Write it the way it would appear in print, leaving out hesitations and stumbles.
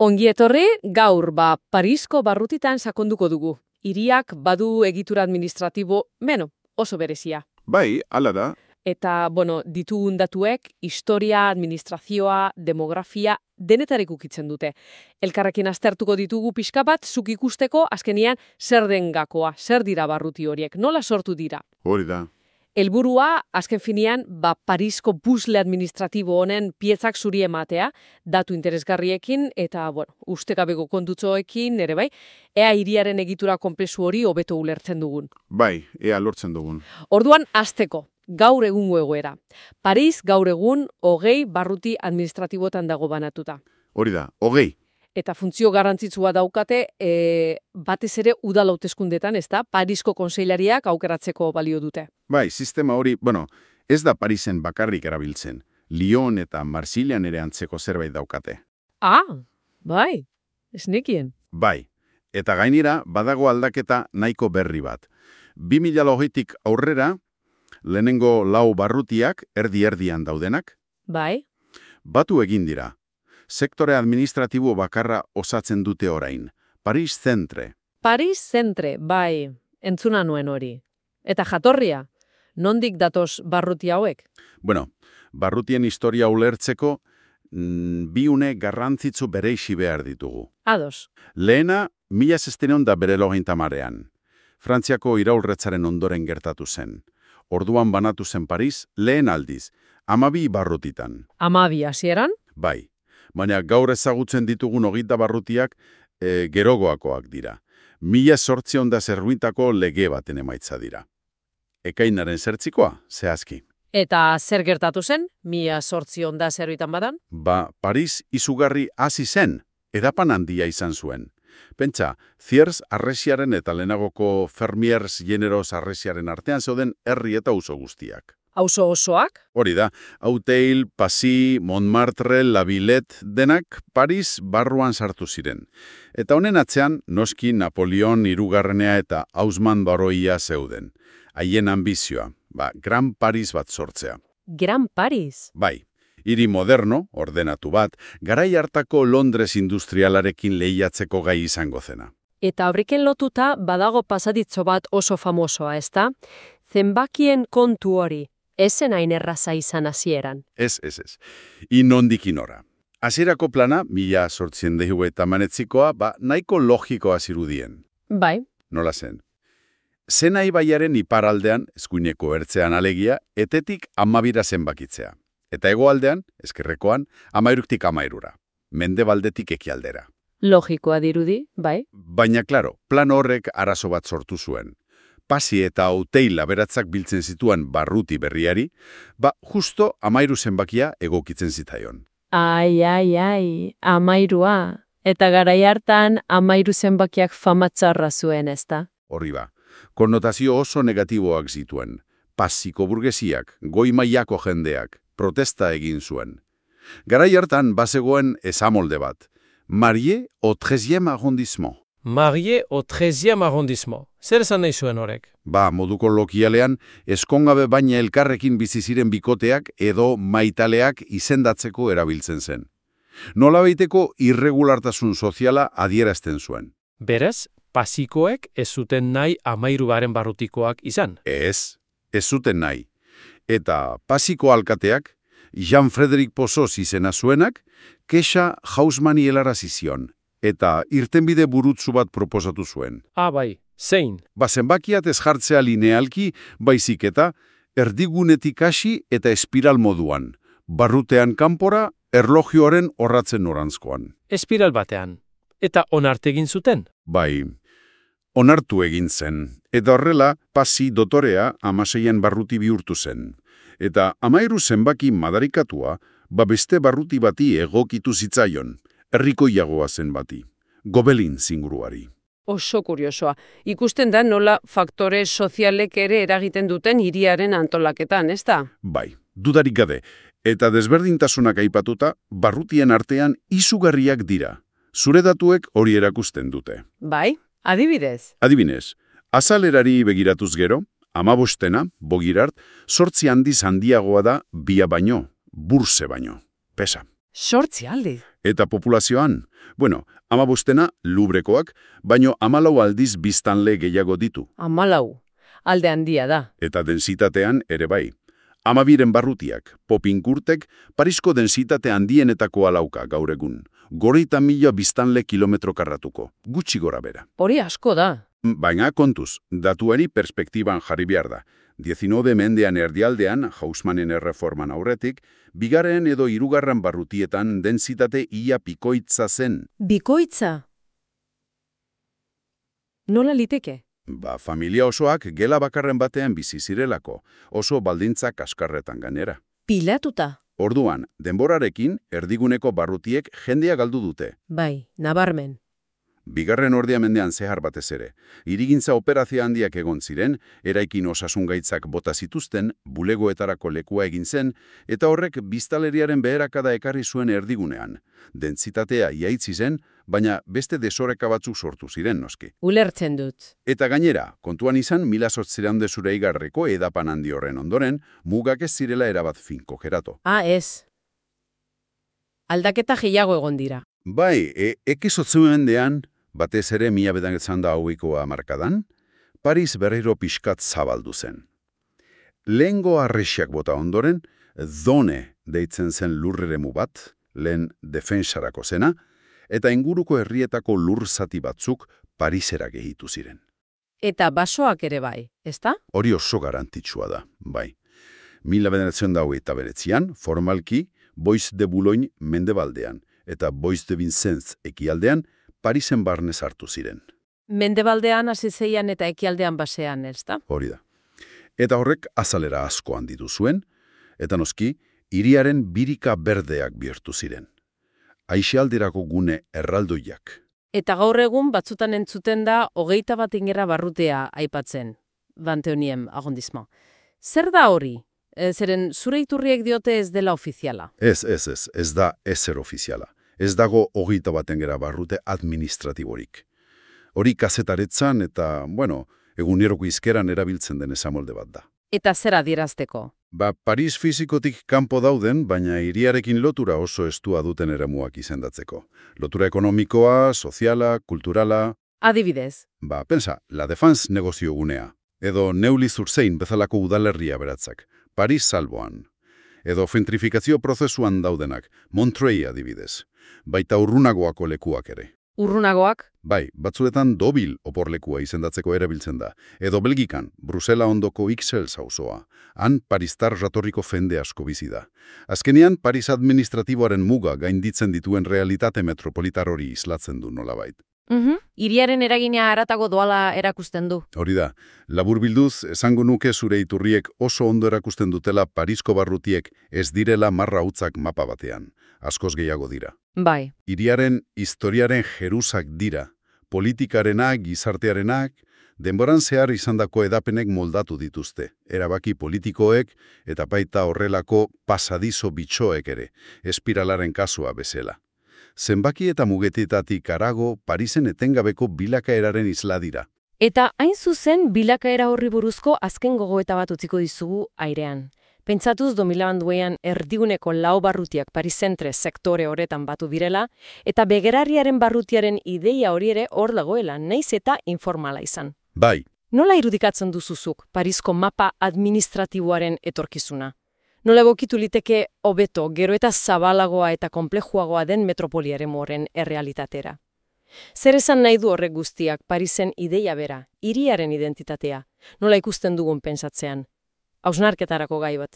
Ongi etorri, gaur Parisko barrutitan sakonduko dugu. Hiriak badu egitura administratibo, oso berezia. Bai, hala da. Eta, ditugun datuek, historia, administrazioa, demografia, denetarik ukitzen dute. Elkarrekin aztertuko ditugu pixka bat, zuk ikusteko, azkenian, zer den gakoa, zer dira barruti horiek, nola sortu dira. Hori da. Helburua, azken finean, Parisko puzzle administratibo honen piezak zuri ematea, datu interesgarriekin eta, ustekabeko kontutxoekin, ere bai, ea hiriaren egitura konplexu hori hobeto ulertzen dugun. Bai, ea lortzen dugun. Orduan, hasteko, gaur egungo egoera. Paris gaur egun 20 barruti administratibotan dago banatuta. Hori da, 20. Eta funtzio garrantzitsua daukate, batez ere udal hauteskundetan, ezta? Parisko kontseilariak aukeratzeko balio dute. Bai, sistema hori, ez da Parisen bakarrik erabiltzen. Lyon eta Marsillan ere antzeko zerbait daukate. Bai, ez nekien. Bai, eta gainera badago aldaketa nahiko berri bat. 2020tik aurrera, lehenengo 4 barrutiak erdi-erdian daudenak. Bai. Batu egin dira. Sektore administratibo bakarra osatzen dute orain. Paris Centre. Paris Centre, bai, entzuna nuen hori. Eta jatorria, nondik datoz barruti hauek? Barrutien historia ulertzeko, bi une garrantzitsu bereizi behar ditugu. Ados. Lehena, 1690 Frantziako iraulretzaren ondoren gertatu zen. Orduan banatu zen Paris, lehen aldiz, 12 barrutitan. 12 hasieran? Bai. Baina gaur ezagutzen ditugun 20 barrutiak gerogoakoak dira. 1800 zerruintako lege baten emaitza dira. Ekainaren 8 zehazki. Eta zer gertatu zen, 1800 zerruitan badan? Paris izugarri hasi zen, edapan handia izan zuen. Pentsa, Thiers arresiaren eta lehenagoko Fermiers generoz arresiaren artean zeuden herri eta auzo guztiak. Auzo osoak? Hori da, Auteuil, Passy, Montmartre, La Villette, denak Paris barruan sartu ziren. Eta honen atzean, noski Napoleon hirugarrenea eta Haussmann baroia zeuden. Haien ambizioa, Gran Paris bat sortzea. Gran Paris? Bai, hiri moderno, ordenatu bat, garai hartako Londres industrialarekin lehiatzeko gai izango zena. Eta horrekin lotuta badago pasaditzo bat oso famosoa, ezta? Zenbakien kontu hori. Ezen hain erraza izan hasieran. Ez. Inondik inora. Hasierako plana, 1880ekoa, nahiko logikoa zirudien. Bai. Nola zen? Sena ibaiaren iparaldean, eskuineko ertzean alegia, etetik 12 zenbakitzea. Eta hegoaldean, ezkerrekoan, 13tik 13. Mendebaldetik ekialdera. Logikoa dirudi, bai. Baina, klaro, plan horrek arazo bat sortu zuen. Passy eta Auteuil aberatzak biltzen zituen barruti berriari, justo 13 zenbakia egokitzen zitaion. Ai, 13. Eta garai hartan 13 zenbakiak famatzarra zuen, ezta? Horri konnotazio oso negatiboak zituen. Passyko burgesiak, goi mailako jendeak, protesta egin zuen. Garai hartan bazegoen esamolde bat. Marié au 13e arrondissement. Marié au 13e arrondissement. Zer esan nahi zuen horrek? Moduko lokialean, eskongabe baina elkarrekin bizi ziren bikoteak edo maitaleak izendatzeko erabiltzen zen. Nolabaiteko irregulartasun soziala adierazten zuen. Berez, Passykoek ez zuten nahi 13 barrutikoak izan? Ez zuten nahi. Eta Passyko alkateak, Jean-Frédéric Pozos izena zuenak, kexa Haussmanni helarazi zion. Eta irtenbide burutsu bat proposatu zuen. Bai, zein? Zenbakiat ez jartzea linealki, baizik eta erdigunetik hasi eta espiral moduan. Barrutean kanpora, erlojioaren orratzen norantzkoan. Espiral batean. Eta onartu egin zuten? Bai, onartu egin zen. Eta horrela, Passy dotorea 16 barruti bihurtu zen. Eta 13 zenbaki madarikatua, beste barruti bati egokitu zitzaion. Herrikoiagoa zen bati, Gobelin zinguruari. Oso kuriosoa. Ikusten da nola faktore sozialek ere eragiten duten hiriaren antolaketan, ezta? Bai, dudarik gabe. Eta desberdintasunak aipatuta, barrutien artean izugarriak dira. Zure datuek hori erakusten dute. Bai, adibidez? Adibidez, azalerari begiratuz gero, 15, Bogirart, 8 handiz handiagoa da bia baino, burse baino. Pesa. 8 aldiz? Eta populazioan? Bueno, 15 Lubrekoak, baino 14 aldiz biztanle gehiago ditu. 14, alde handia da. Eta densitatean ere bai. 12 barrutiak, Popinkurtek, Parisko densitate handienetakoa lauka gaur egun. 40.000 biztanle kilometro karratuko, gutxi gora bera. Hori asko da. Baina kontuz, datuari perspektiban jarri behar da. 19 mendean erdialdean, Haussmannen erreforman aurretik, bigarren edo hirugarren barrutietan densitate ia pikoitza zen. Bikoitza? Nola liteke? Familia osoak gela bakarren batean bizi zirelako, oso baldintza kaskarretan gainera. Pilatuta? Orduan, denborarekin, erdiguneko barrutiek jendea galdu dute. Bai, nabarmen. Bigarren ordia mendean zehar batez ere. Hirigintza operazio handiak egon ziren, eraikin osasungaitzak bota zituzten, bulegoetarako lekua egin zen, eta horrek biztanleriaren beherakada ekarri zuen erdigunean. Dentsitatea iaitzi zen, baina beste desoreka batzuk sortu ziren noski. Ulertzen dut. Eta gainera, kontuan izan 1800 edapan handi horren ondoren, mugak ez zirela erabat finko gerato. Ez. Aldaketa gehiago egon dira. Bai, ekizotzen mendean, batez ere 1920 hamarkadan, Paris berriro pixkat zabaldu zen. Lehengo arresiak bota ondoren, Done deitzen zen lurreremu bat, lehen defensarako zena, eta inguruko herrietako lur zati batzuk Parisera gehitu ziren. Eta basoak ere bai, ezta? Hori oso garantitsua da, bai. 1929an, formalki, Bois de Boulogne mendebaldean, eta Bois de Vincennes ekialdean, Parisen barne sartu ziren. Mendebaldean hasi zeian eta ekialdean basean, ezta? Hori da. Eta horrek azalera asko handitu zuen, eta noski, hiriaren birika berdeak bihurtu ziren. Aixialdirako gune erraldoiak. Eta gaur egun batzutan entzuten da 21 ingera barrutea aipatzen, Banteoniem arrondissement. Zer da hori? Zeren zure iturriek diote ez dela ofiziala. Ez da ezer ofiziala. Ez dago 21 ingera barrute administratiborik. Hori kazetaretzan eta, eguneroko izkeran erabiltzen den esamolde bat da. Eta zer adierazteko? Paris fizikotik kanpo dauden, baina hiriarekin lotura oso estua duten eremuak izendatzeko. Lotura ekonomikoa, soziala, kulturala... Adibidez? Pensa, La Défense negozio gunea. Edo Neuilly-sur-Seine bezalako udalerria beratzak. Paris salboan. Edo gentrifikazio prozesuan daudenak. Montreuil adibidez. Baita urrunagoako lekuak ere. Urrunagoak? Bai, batzuetan Deauville oporlekua izendatzeko erabiltzen da. Edo Belgikan, Brusela ondoko Ixelles auzoa. Han paristar jatorriko jende asko bizi da. Azkenean, Paris administratiboaren muga gainditzen dituen realitate metropolitar hori islatzen du nolabait. Hiriaren eragina haratago doala erakusten du. Hori da, laburbilduz, esango nuke zure iturriek oso ondo erakusten dutela Parisko barrutiek ez direla marra hutzak mapa batean. Askoz gehiago dira. Bai. Hiriaren historiaren jerusak dira. Politikarenak, gizartearenak, denboran zehar izandako edapenek moldatu dituzte. Erabaki politikoek eta baita horrelako pasadizo bitxoek ere, espiralaren kasua bezala. Zenbaki eta mugetetatik harago Parisen etengabeko bilakaeraren isla dira. Eta hain zuzen bilakaera horri buruzko azken gogoeta bat utziko dizugu airean. Pentsatuz 2002an erdiguneko 4 barrutiak Parisentre sektore horretan batu direla, eta begerariaren barrutiaren ideia hori ere hor dagoela, naiz eta informala izan. Bai. Nola irudikatzen duzuzuk Parisko mapa administratiboaren etorkizuna? Nola egokitu liteke hobeto, gero eta zabalagoa eta konplejuagoa den metropoliaren horren errealitatera? Zer esan nahi du horrek guztiak Parisen ideia bera, hiriaren identitatea? Nola ikusten dugun pentsatzean? Hausnarketarako gai bat.